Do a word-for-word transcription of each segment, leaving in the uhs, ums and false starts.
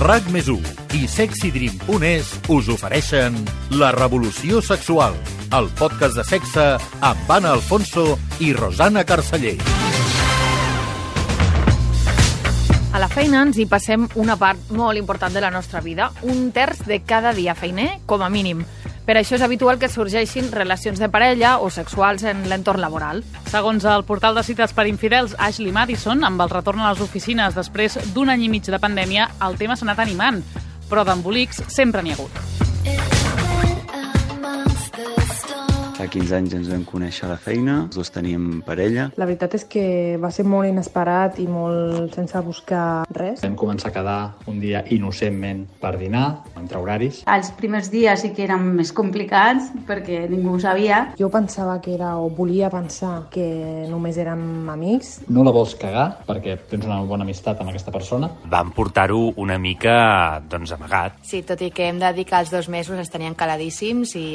RAC més u i sexy dream punt es us ofereixen La Revolució Sexual, el podcast de sexe amb Anna Alfonso i Rosana Carceller. A la feina ens hi passem una part molt important de la nostra vida, un terç de cada dia feiner, com a mínim. Per això és habitual que sorgeixin relacions de parella o sexuals en l'entorn laboral. Segons el portal de cites per infidels Ashley Madison, amb el retorn a les oficines després d'un any i mig de pandèmia, el tema s'ha anat animant, però d'embolics sempre n'hi ha hagut. Fa quinze anys ens vam conèixer a la feina, els dos teníem parella. La veritat és que va ser molt inesperat i molt sense buscar res. Vam començar a quedar un dia innocentment per dinar, entre horaris. Els primers dies sí que eren més complicats perquè ningú ho sabia. Jo pensava que era, o volia pensar, que només érem amics. No la vols cagar perquè tens una bona amistat amb aquesta persona. Vam portar-ho una mica, doncs, amagat. Sí, tot i que hem de dir que els dos mesos es tenien caladíssims i,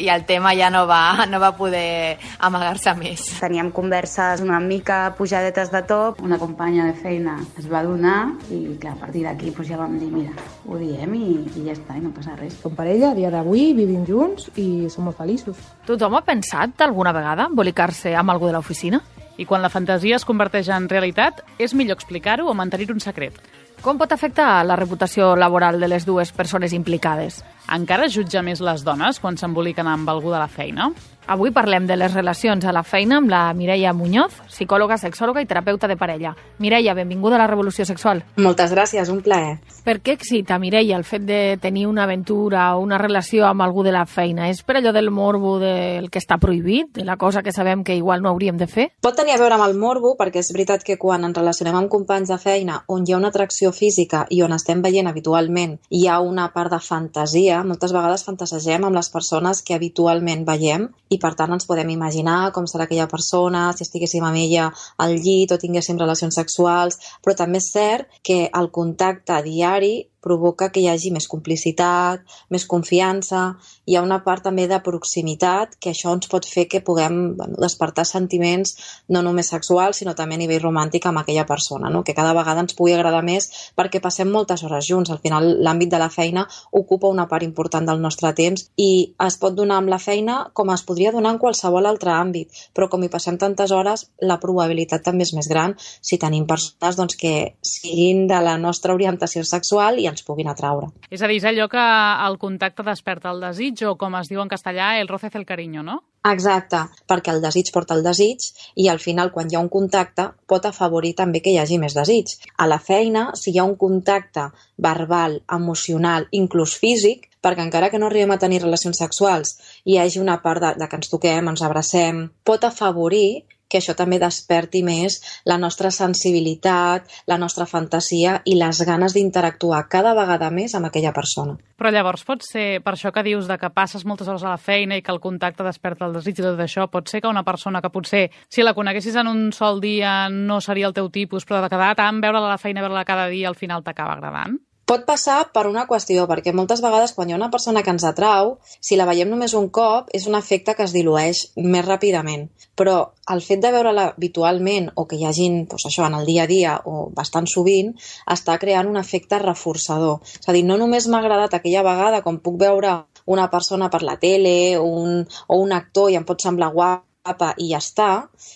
i el tema ja no va no va poder amagar-se més. Teníem converses una mica pujadetes de top. Una companya de feina es va donar i, clar, a partir d'aquí doncs ja vam dir, mira, ho diem i, i ja està, i no passa res. Som parella, a dia d'avui, vivim junts i som molt feliços. Tothom ha pensat alguna vegada embolicar-se amb algú de l'oficina? I quan la fantasia es converteix en realitat, és millor explicar-ho o mantenir un secret. Com pot afectar la reputació laboral de les dues persones implicades? Encara jutja més les dones quan s'emboliquen amb algú de la feina? Avui parlem de les relacions a la feina amb la Mireia Muñoz, psicòloga, sexòloga i terapeuta de parella. Mireia, benvinguda a la Revolució Sexual. Moltes gràcies, un plaer. Per què excita, Mireia, el fet de tenir una aventura o una relació amb algú de la feina? És per allò del morbo del que està prohibit, de la cosa que sabem que igual no hauríem de fer? Pot tenir a veure amb el morbo, perquè és veritat que quan ens relacionem amb companys de feina on hi ha una atracció física i on estem veient habitualment hi ha una part de fantasia, moltes vegades fantasegem amb les persones que habitualment veiem i per tant ens podem imaginar com serà aquella persona, si estiguéssim amb ella al llit o tinguéssim relacions sexuals, però també és cert que el contacte diari provoca que hi hagi més complicitat, més confiança, hi ha una part també de proximitat que això ens pot fer que puguem bueno, despertar sentiments no només sexuals sinó també a nivell romàntic amb aquella persona, no? Que cada vegada ens pugui agradar més perquè passem moltes hores junts, al final l'àmbit de la feina ocupa una part important del nostre temps i es pot donar amb la feina com es podria donar en qualsevol altre àmbit, però com hi passem tantes hores la probabilitat també és més gran si tenim persones doncs, que siguin de la nostra orientació sexual i ens puguin atraure. És a dir, és allò que el contacte desperta el desig o, com es diu en castellà, el roce el cariño, no? Exacte, perquè el desig porta el desig i al final quan hi ha un contacte pot afavorir també que hi hagi més desig. A la feina, si hi ha un contacte verbal, emocional, inclús físic, perquè encara que no arribem a tenir relacions sexuals hi hagi una part de, de que ens toquem, ens abracem, pot afavorir que això també desperti més la nostra sensibilitat, la nostra fantasia i les ganes d'interactuar cada vegada més amb aquella persona. Però llavors pot ser, per això que dius de que passes moltes hores a la feina i que el contacte desperta el desig i tot això, pot ser que una persona que potser, si la coneguessis en un sol dia, no seria el teu tipus, però de quedar tant, veure-la a la feina, veure-la cada dia, al final t'acaba agradant? Pot passar per una qüestió, perquè moltes vegades quan hi ha una persona que ens atrau, si la veiem només un cop, és un efecte que es dilueix més ràpidament. Però el fet de veure-la habitualment o que hi hagin doncs això, en el dia a dia o bastant sovint, està creant un efecte reforçador. És a dir, no només m'ha agradat aquella vegada com puc veure una persona per la tele un, o un actor i em pot semblar guapa i ja està,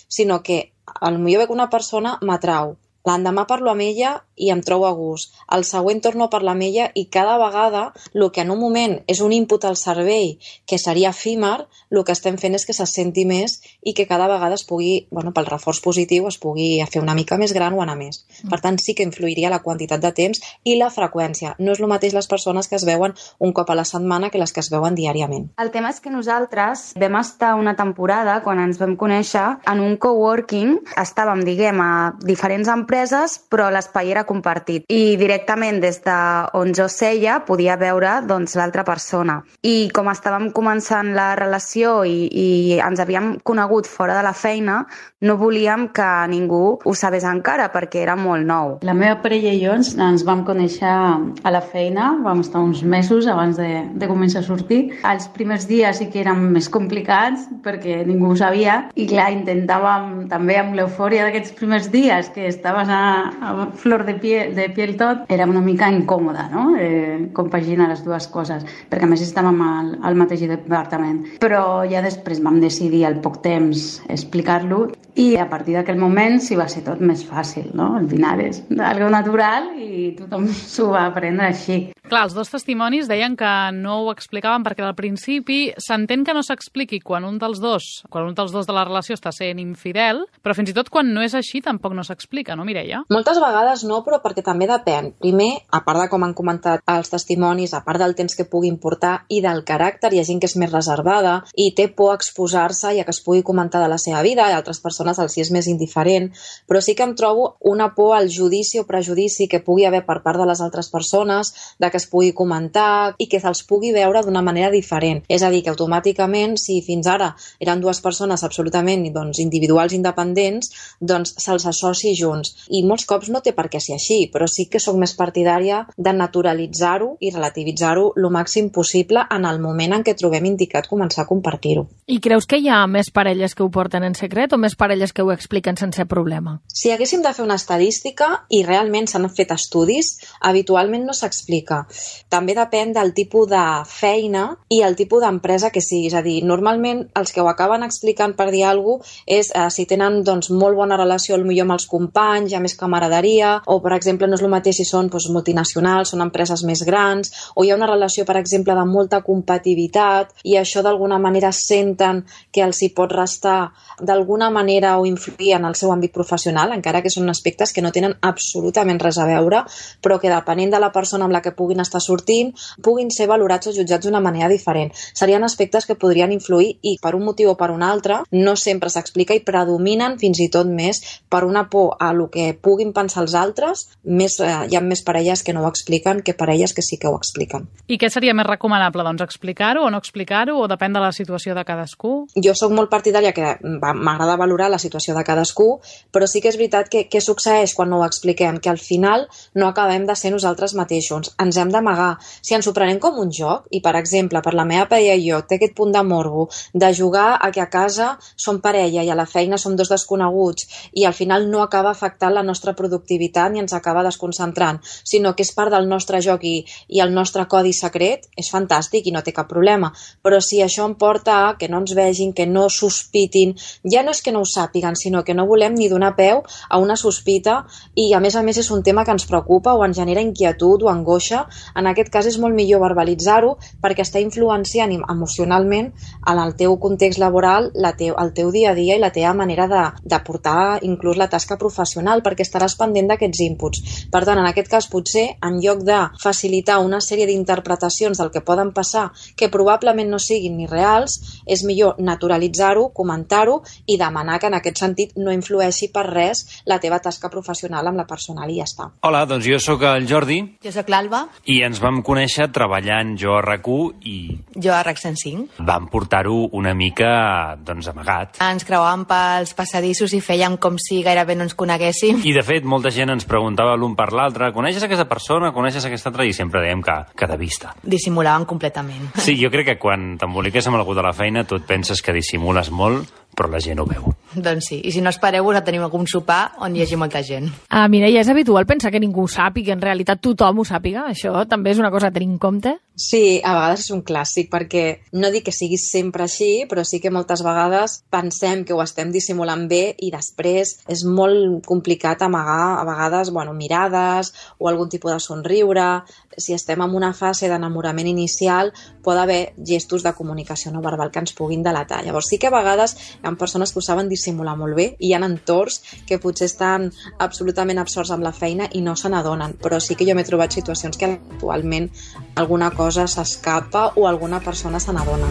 sinó que potser veig una persona m'atrau. L'endemà parlo amb ella i em trobo a gust. El següent torno a parlar amb ella i cada vegada el que en un moment és un input al cervell que seria efímer, el que estem fent és que se senti més i que cada vegada es pugui, bueno, pel reforç positiu, es pugui fer una mica més gran o anar més. Per tant, sí que influiria la quantitat de temps i la freqüència. No és el mateix les persones que es veuen un cop a la setmana que les que es veuen diàriament. El tema és que nosaltres vam estar una temporada, quan ens vam conèixer, en un coworking. Estàvem, diguem, a diferents empreses empreses, però l'espai era compartit. I directament des d'on jo seia podia veure doncs, l'altra persona. I com estàvem començant la relació i, i ens havíem conegut fora de la feina, no volíem que ningú ho sabés encara perquè era molt nou. La meva parella i jo ens, ens vam conèixer a la feina, vam estar uns mesos abans de, de començar a sortir. Els primers dies sí que eren més complicats perquè ningú ho sabia i clar, intentàvem també amb l'eufòria d'aquests primers dies que estaves estaves a, a flor de piel, de piel tot, era una mica incòmode, no? Eh, compaginar les dues coses, perquè a més estàvem al, al mateix departament. Però ja després vam decidir al poc temps explicar-lo i a partir d'aquell moment sí va ser tot més fàcil, no? Al final és algo natural i tothom s'ho va aprendre així. Clar, els dos testimonis deien que no ho explicaven perquè al principi s'entén que no s'expliqui quan un dels dos, quan un dels dos de la relació està sent infidel, però fins i tot quan no és així tampoc no s'explica, no, Mireia? Moltes vegades no, però perquè també depèn. Primer, a part de com han comentat els testimonis, a part del temps que puguin portar i del caràcter, hi ha gent que és més reservada i té por a exposar-se i a que es pugui comentar de la seva vida, i altres persones els hi és més indiferent, però sí que em trobo una por al judici o prejudici que pugui haver per part de les altres persones, de que es pugui comentar i que se'ls pugui veure d'una manera diferent. És a dir, que automàticament, si fins ara eren dues persones absolutament doncs, individuals independents, doncs se'ls associ junts. I molts cops no té per què ser així, però sí que soc més partidària de naturalitzar-ho i relativitzar-ho el màxim possible en el moment en què trobem indicat començar a compartir-ho. I creus que hi ha més parelles que ho porten en secret o més parelles que ho expliquen sense problema? Si haguéssim de fer una estadística, i realment s'han fet estudis, habitualment no s'explica. També depèn del tipus de feina i el tipus d'empresa que sigui. És a dir, normalment els que ho acaben explicant per dir alguna cosa és eh, si tenen doncs, molt bona relació potser amb els companys, hi ha més camaraderia, o per exemple no és el mateix si són doncs, multinacionals, són empreses més grans, o hi ha una relació per exemple de molta competitivitat i això d'alguna manera senten que els hi pot restar d'alguna manera o influir en el seu àmbit professional, encara que són aspectes que no tenen absolutament res a veure, però que depenent de la persona amb la que puguin estar sortint, puguin ser valorats o jutjats d'una manera diferent. Serien aspectes que podrien influir i per un motiu o per un altre no sempre s'explica i predominen fins i tot més per una por a lo que puguin pensar els altres. Més, eh, hi ha més parelles que no ho expliquen que parelles que sí que ho expliquen. I què seria més recomanable? Doncs explicar-ho o no explicar-ho o depèn de la situació de cadascú? Jo sóc molt partidària que m'agrada valorar la situació de cadascú, però sí que és veritat que què succeeix quan no ho expliquem? Que al final no acabem de ser nosaltres mateixos. Ens hem d'amagar. Si ens ho prenem com un joc, i per exemple, per la meva parella i jo, té aquest punt de morbo, de jugar a que a casa som parella i a la feina som dos desconeguts, i al final no acaba afectant la nostra productivitat ni ens acaba desconcentrant, sinó que és part del nostre joc i, i el nostre codi secret, és fantàstic i no té cap problema. Però si això em porta a que no ens vegin, que no sospitin, ja no és que no ho sàpiguen, sinó que no volem ni donar peu a una sospita, i a més a més és un tema que ens preocupa o ens genera inquietud o angoixa. En aquest cas és molt millor verbalitzar-ho perquè està influenciant emocionalment en el teu context laboral, la teu, el teu dia a dia i la teva manera de, de portar inclús la tasca professional, perquè estaràs pendent d'aquests inputs. Per tant, en aquest cas potser, en lloc de facilitar una sèrie d'interpretacions del que poden passar que probablement no siguin ni reals, és millor naturalitzar-ho, comentar-ho i demanar que en aquest sentit no influeixi per res la teva tasca professional amb la personal i ja està. Hola, doncs jo sóc el Jordi. Jo sóc l'Alba. I ens vam conèixer treballant jo a R A C U i... Jo a R A C cent cinc. Vam portar-ho una mica, doncs, amagat. Ens creuàvem pels passadissos i fèiem com si gairebé no ens coneguéssim. I, de fet, molta gent ens preguntava l'un per l'altre, coneixes aquesta persona, coneixes aquesta altra? I sempre dèiem que, que de vista. Dissimulaven completament. Sí, jo crec que quan t'emboliques amb algú de la feina tu et penses que dissimules molt, però la gent ho veu. Doncs sí, i si no espereu-vos a tenir algun sopar on hi hagi molta gent. Ah, Mireia, és habitual pensar que ningú ho sàpiga, que en realitat tothom ho sàpiga? Això també és una cosa a tenir en compte? Sí, a vegades és un clàssic, perquè no dic que sigui sempre així, però sí que moltes vegades pensem que ho estem dissimulant bé i després és molt complicat amagar a vegades bueno, mirades o algun tipus de somriure. Si estem en una fase d'enamorament inicial, pot haver gestos de comunicació no verbal que ens puguin delatar. Llavors sí que a vegades hi ha persones que ho saben dissimular molt bé i hi ha entorns que potser estan absolutament absorts amb la feina i no se n'adonen, però sí que jo m'he trobat situacions que actualment alguna cosa s'escapa o alguna persona se n'adona.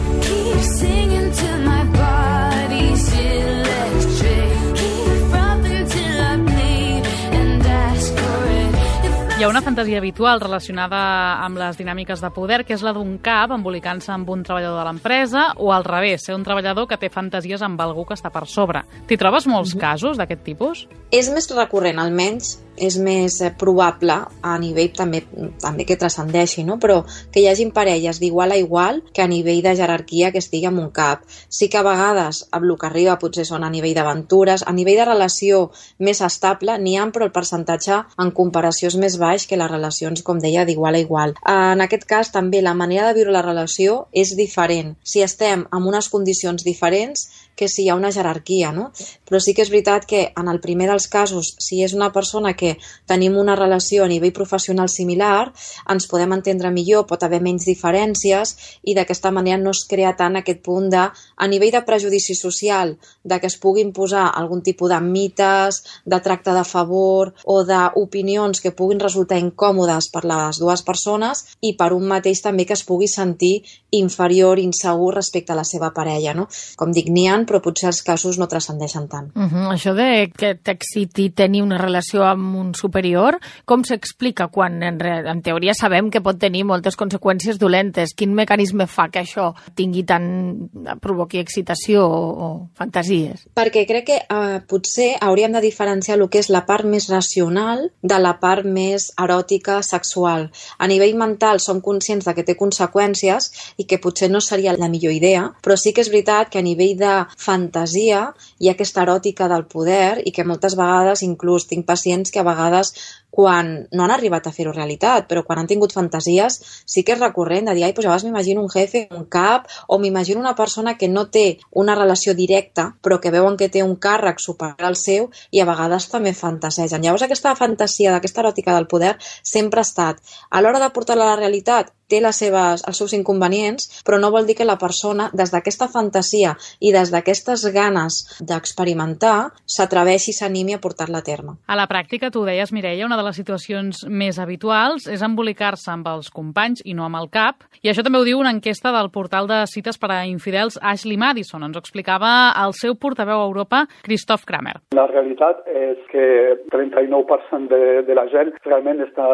Hi ha una fantasia habitual relacionada amb les dinàmiques de poder, que és la d'un cap embolicant-se amb un treballador de l'empresa, o al revés, ser un treballador que té fantasies amb algú que està per sobre. T'hi trobes molts casos d'aquest tipus? És més recurrent, almenys és més probable a nivell també, també que transcendeixi, no? Però que hi hagin parelles d'igual a igual que a nivell de jerarquia que estigui en un cap. Sí que a vegades el que arriba potser són a nivell d'aventures, a nivell de relació més estable n'hi ha, però el percentatge en comparació és més baix que les relacions, com deia, d'igual a igual. En aquest cas també la manera de viure la relació és diferent. Si estem en unes condicions diferents que si hi ha una jerarquia, no? Però sí que és veritat que en el primer dels casos, si és una persona que tenim una relació a nivell professional similar, ens podem entendre millor, pot haver menys diferències i d'aquesta manera no es crea tant aquest punt de, a nivell de prejudici social, de que es pugui imposar algun tipus de mites, de tracte de favor o d'opinions que puguin resultar incòmodes per les dues persones i per un mateix també que es pugui sentir inferior, insegur respecte a la seva parella, no? Com dic, n'hi ha, però potser els casos no transcendeixen tant. Uh -huh. Això de que t'exciti tenir una relació amb un superior, com s'explica quan en, en teoria sabem que pot tenir moltes conseqüències dolentes? Quin mecanisme fa que això tingui tant, provoqui excitació o, o fantasies? Perquè crec que eh, potser hauríem de diferenciar el que és la part més racional de la part més eròtica, sexual. A nivell mental som conscients de que té conseqüències i que potser no seria la millor idea, però sí que és veritat que a nivell de fantasia hi ha aquesta eròtica del poder i que moltes vegades, inclús tinc pacients que a vegades quan no han arribat a fer-ho realitat, però quan han tingut fantasies sí que és recurrent de dir, ai, doncs a vegades m'imagino un jefe, un cap, o m'imagino una persona que no té una relació directa, però que veuen que té un càrrec superior al seu i a vegades també fantasegen. Llavors aquesta fantasia d'aquesta eròtica del poder sempre ha estat. A l'hora de portar-la a la realitat té les seves, els seus inconvenients, però no vol dir que la persona, des d'aquesta fantasia i des d'aquestes ganes d'experimentar, s'atreveixi i s'animi a portar-la a terme. A la pràctica, tu deies, Mireia, una de les situacions més habituals és embolicar-se amb els companys i no amb el cap, i això també ho diu una enquesta del portal de cites per a infidels Ashley Madison. Ens ho explicava el seu portaveu a Europa, Christoph Kramer. La realitat és que trenta-nou per cent de, de la gent realment està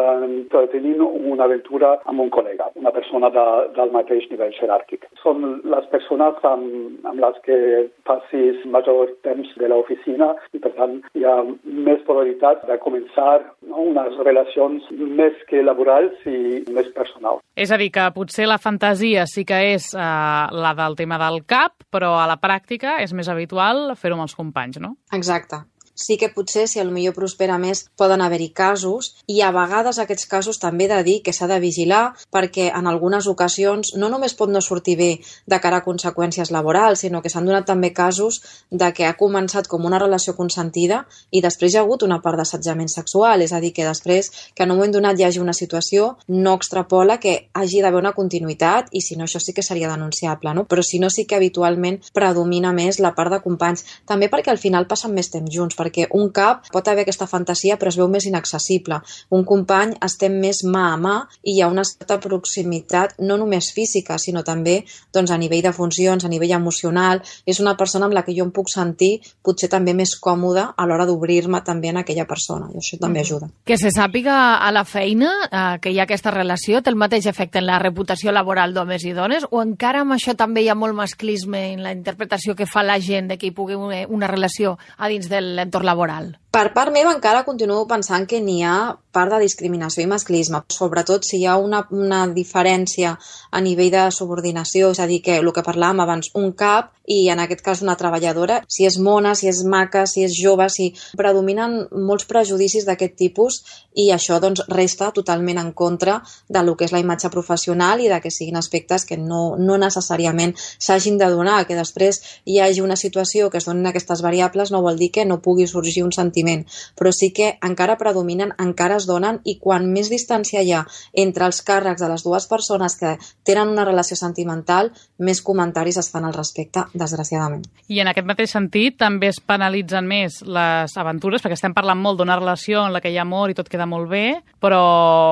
tenint una aventura amb un col·lega, una persona de, del mateix nivell jeràrquic. Són les persones amb, amb les que passis major temps de l'oficina i, per tant, hi ha més probabilitat de començar, no, unes relacions més que laborals i més personals. És a dir, que potser la fantasia sí que és eh, la del tema del cap, però a la pràctica és més habitual fer-ho amb els companys, no? Exacte. Sí que potser, si potser prospera més, poden haver-hi casos i a vegades aquests casos també he de dir que s'ha de vigilar perquè en algunes ocasions no només pot no sortir bé de cara a conseqüències laborals, sinó que s'han donat també casos de que ha començat com una relació consentida i després hi ha hagut una part d'assetjament sexual, és a dir, que després que en un moment donat hi hagi una situació no extrapola que hagi d'haver una continuïtat i si no això sí que seria denunciable, no? Però si no sí que habitualment predomina més la part de companys, també perquè al final passen més temps junts, perquè un cap pot haver aquesta fantasia però es veu més inaccessible. Un company estem més mà a mà i hi ha una certa proximitat no només física, sinó també doncs, a nivell de funcions, a nivell emocional. És una persona amb la que jo em puc sentir potser també més còmoda a l'hora d'obrir-me també en aquella persona i això també ajuda. Que se sàpiga a la feina eh, que hi ha aquesta relació té el mateix efecte en la reputació laboral d'homes i dones o encara amb això també hi ha molt masclisme en la interpretació que fa la gent de que hi pugui una, una relació a dins de l'entorn laboral? Per part meva encara continuo pensant que n'hi ha part de discriminació i masclisme, sobretot si hi ha una, una diferència a nivell de subordinació, és a dir, que el que parlàvem abans, un cap i en aquest cas una treballadora, si és mona, si és maca, si és jove, si predominen molts prejudicis d'aquest tipus i això doncs resta totalment en contra de lo que és la imatge professional i de que siguin aspectes que no, no necessàriament s'hagin de donar, que després hi hagi una situació que es donin aquestes variables no vol dir que no pugui sorgir un sentiment, però sí que encara predominen, encara es donen i quan més distància hi ha entre els càrrecs de les dues persones que tenen una relació sentimental, més comentaris es fan al respecte, desgraciadament. I en aquest mateix sentit també es penalitzen més les aventures, perquè estem parlant molt d'una relació en la que hi ha amor i tot queda molt bé, però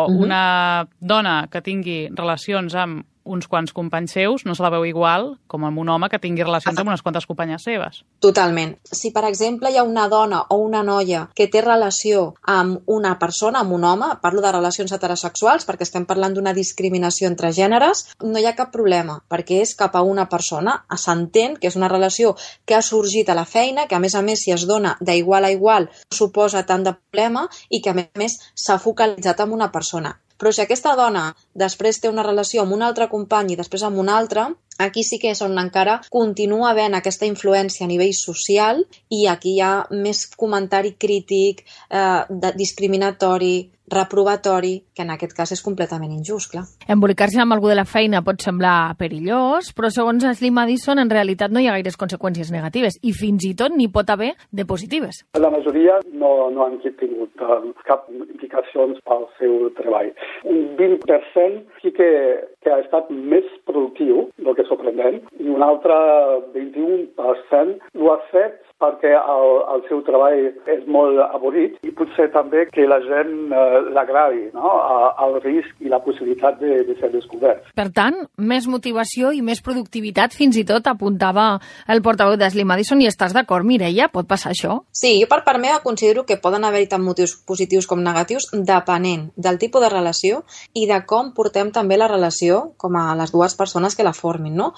uh-huh. una dona que tingui relacions amb uns quants companys seus, no se la veu igual com amb un home que tingui relacions amb unes quantes companyes seves. Totalment. Si, per exemple, hi ha una dona o una noia que té relació amb una persona, amb un home, parlo de relacions heterosexuals perquè estem parlant d'una discriminació entre gèneres, no hi ha cap problema, perquè és cap a una persona, s'entén que és una relació que ha sorgit a la feina, que a més a més si es dona d'igual a igual suposa tant de problema i que a més a més s'ha focalitzat en una persona. Però si aquesta dona després té una relació amb un altre company i després amb un altre, aquí sí que és on encara continua havent aquesta influència a nivell social i aquí hi ha més comentari crític, eh, discriminatori, reprovatori, que en aquest cas és completament injust, clar. Embolicar-se amb algú de la feina pot semblar perillós, però segons Ashley Madison en realitat no hi ha gaires conseqüències negatives i fins i tot n'hi pot haver de positives. La majoria no, no han tingut uh, cap implicacions pel seu treball. Un vint per cent sí que, que ha estat més productiu, el que és sorprenent, i un altre vint-i-un per cent ho ha fet perquè el, el seu treball és molt avorrit i potser també que la gent eh, l'agradi, no? El risc i la possibilitat de, de ser descobert. Per tant, més motivació i més productivitat, fins i tot apuntava el portaveu d'Ashley Madison, i estàs d'acord, Mireia? Pot passar això? Sí, jo per part meva considero que poden haver-hi tant motius positius com negatius depenent del tipus de relació i de com portem també la relació com a les dues persones que la formin, no?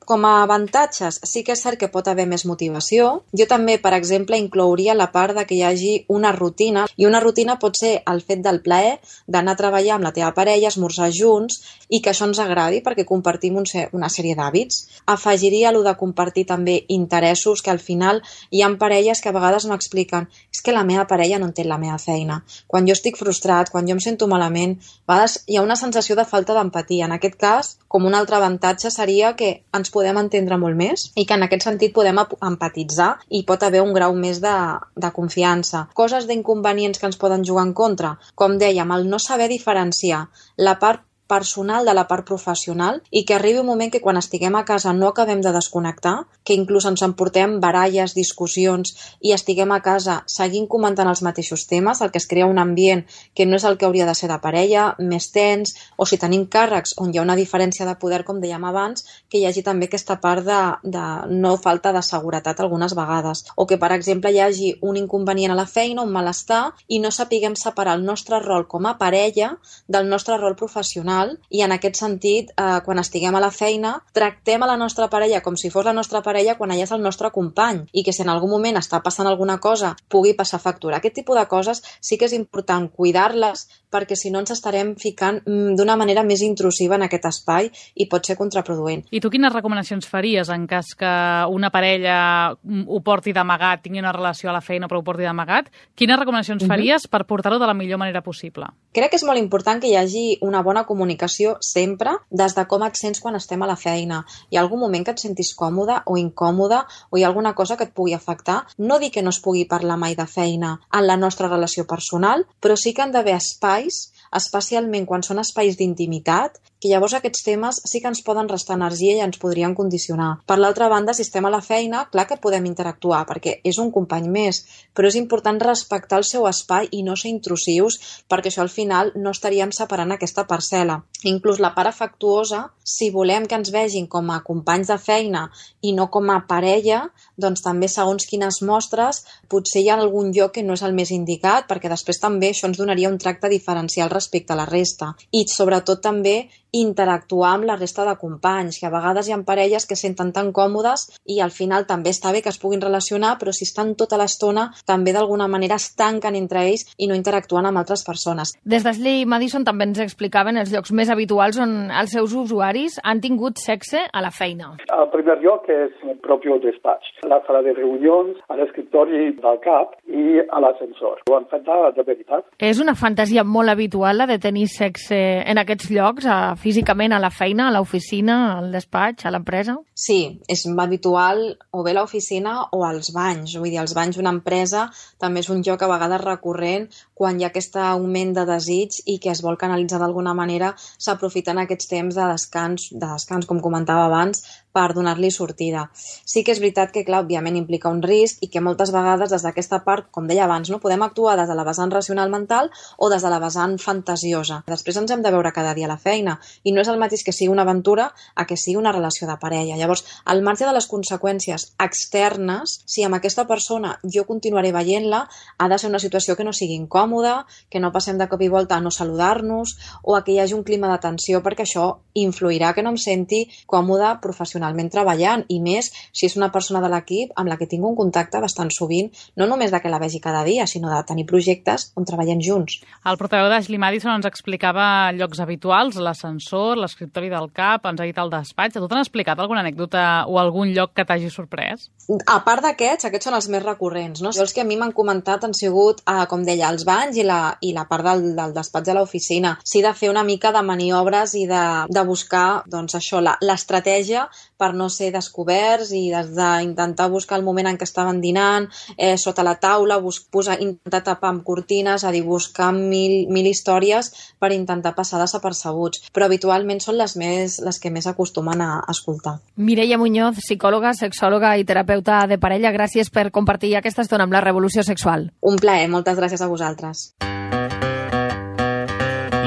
Com a avantatges, sí que és cert que pot haver més motivació. Jo també, per exemple, inclouria la part de que hi hagi una rutina, i una rutina pot ser el fet del plaer d'anar a treballar amb la teva parella, esmorzar junts, i que això ens agradi perquè compartim un, una sèrie d'hàbits. Afegiria allò de compartir també interessos, que al final hi ha parelles que a vegades m'expliquen és que la meva parella no entén la meva feina. Quan jo estic frustrat, quan jo em sento malament, a vegades hi ha una sensació de falta d'empatia. En aquest cas, com un altre avantatge seria que ens podem entendre molt més i que en aquest sentit podem empatitzar i pot haver un grau més de, de confiança. Coses d'inconvenients que ens poden jugar en contra, com dèiem, el no saber diferenciar la part personal de la part professional i que arribi un moment que quan estiguem a casa no acabem de desconnectar, que inclús ens emportem baralles, discussions i estiguem a casa seguint comentant els mateixos temes, el que es crea un ambient que no és el que hauria de ser de parella, més tens, o si tenim càrrecs on hi ha una diferència de poder, com dèiem abans, que hi hagi també aquesta part de, de no falta de seguretat algunes vegades, o que per exemple hi hagi un inconvenient a la feina, un malestar, i no sapiguem separar el nostre rol com a parella del nostre rol professional. I en aquest sentit, eh, quan estiguem a la feina, tractem a la nostra parella com si fos la nostra parella quan ella és el nostre company i que si en algun moment està passant alguna cosa pugui passar factura. Aquest tipus de coses sí que és important cuidar-les perquè si no ens estarem ficant d'una manera més intrusiva en aquest espai i pot ser contraproduent. I tu quines recomanacions faries en cas que una parella ho porti d'amagat, tingui una relació a la feina però ho porti d'amagat? Quines recomanacions faries per portar-ho de la millor manera possible? Crec que és molt important que hi hagi una bona comunicació sempre des de com et sents quan estem a la feina. Hi ha algun moment que et sentis còmode o incòmode o hi ha alguna cosa que et pugui afectar? No dic que no es pugui parlar mai de feina en la nostra relació personal, però sí que han d'haver espais, especialment quan són espais d'intimitat, que llavors aquests temes sí que ens poden restar energia i ens podrien condicionar. Per l'altra banda, si estem a la feina, clar que podem interactuar, perquè és un company més, però és important respectar el seu espai i no ser intrusius, perquè això al final no estaríem separant aquesta parcel·la. Inclús la part afectuosa, si volem que ens vegin com a companys de feina i no com a parella, doncs també segons quines mostres, potser hi ha algun lloc que no és el més indicat, perquè després també això ens donaria un tracte diferencial respecte a la resta. I sobretot també interactuar amb la resta de companys, que a vegades hi ha parelles que senten tan còmodes i al final també està bé que es puguin relacionar, però si estan tota l'estona també d'alguna manera es tanquen entre ells i no interactuen amb altres persones. Des d'Ashley Madison també ens explicaven els llocs més habituals on els seus usuaris han tingut sexe a la feina. El primer lloc és el propi despatx, la sala de reunions, a l'escriptori del cap i a l'ascensor. Ho han fet de, de veritat. És una fantasia molt habitual la de tenir sexe en aquests llocs, a físicament a la feina, a l'oficina, al despatx, a l'empresa? Sí, és habitual o bé a l'oficina o als banys. Vull dir, els banys d'una empresa també és un lloc a vegades recurrent quan hi ha aquest augment de desig i que es vol canalitzar d'alguna manera, s'aprofiten aquests temps de descans, de descans, com comentava abans, per donar-li sortida. Sí que és veritat que, clar, òbviament implica un risc i que moltes vegades des d'aquesta part, com deia abans, no podem actuar des de la vessant racional mental o des de la vessant fantasiosa. Després ens hem de veure cada dia a la feina i no és el mateix que sigui una aventura a que sigui una relació de parella. Llavors, al marge de les conseqüències externes, si amb aquesta persona jo continuaré veient-la, ha de ser una situació que no sigui incòmoda, que no passem de cop i volta a no saludar-nos o a que hi hagi un clima de tensió, perquè això influirà que no em senti còmoda professionalment treballant, i més si és una persona de l'equip amb la que tinc un contacte bastant sovint, no només de que la vegi cada dia, sinó de tenir projectes on treballem junts. El portaveu d'Ashley Madison ens explicava llocs habituals, l'ascensor, l'escriptori del cap, ens ha dit el despatx. A tu t'han explicat alguna anècdota o algun lloc que t'hagi sorprès? A part d'aquests, aquests són els més recurrents, no? Els que a mi m'han comentat han sigut, eh, com deia, els banys i la, i la part del, del despatx de l'oficina. Sí, de fer una mica de maniobres i de, de buscar, doncs això, la, l'estratègia per no ser descoberts i d'intentar buscar el moment en què estaven dinant, eh, sota la taula, bus, posar, intentar tapar amb cortines, a dir, buscar mil, mil històries per intentar passar desapercebuts. Però habitualment són les, més, les que més acostumen a escoltar. Mireia Muñoz, psicòloga, sexòloga i terapeuta de parella, gràcies per compartir aquesta estona amb la Revolució Sexual. Un plaer, moltes gràcies a vosaltres.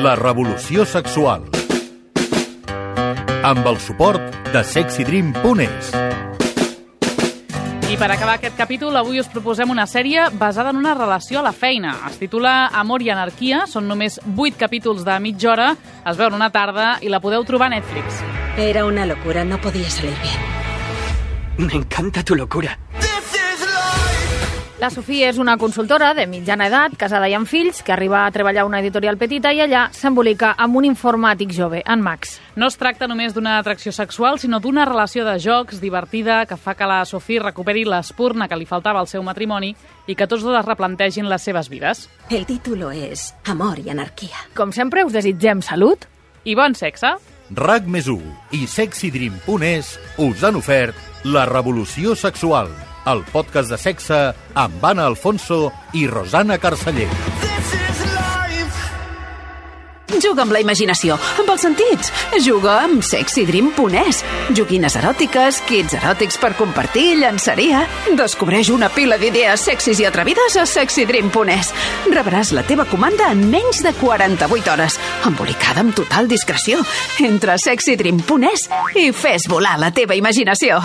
La Revolució Sexual, amb el suport de sexy dream punt es. I per acabar aquest capítol, avui us proposem una sèrie basada en una relació a la feina. Es titula Amor i anarquia, són només vuit capítols de mitja hora, es veuen una tarda i la podeu trobar a Netflix. Era una locura, no podía salir bien. Me encanta tu locura. La Sofia és una consultora de mitjana edat, casada i amb fills, que arriba a treballar a una editorial petita i allà s'embolica amb un informàtic jove, en Max. No es tracta només d'una atracció sexual, sinó d'una relació de jocs divertida que fa que la Sofia recuperi l'espurna que li faltava al seu matrimoni i que tots dos es replantegin les seves vides. El título és Amor i anarquia. Com sempre, us desitgem salut i bon sexe. RAC més u i sexy dream punt es us han ofert La Revolució Sexual, el podcast de sexe amb Anna Alfonso i Rosana Carceller. Juga amb la imaginació, amb els sentits. Juga amb sexy dream punt es. Joguines eròtiques, kits eròtics per compartir, llançaria. Descobreix una pila d'idees sexis i atrevides a sexy dream punt es. Rebràs la teva comanda en menys de quaranta-vuit hores, embolicada amb total discreció. Entra a sexy dream punt es i fes volar la teva imaginació.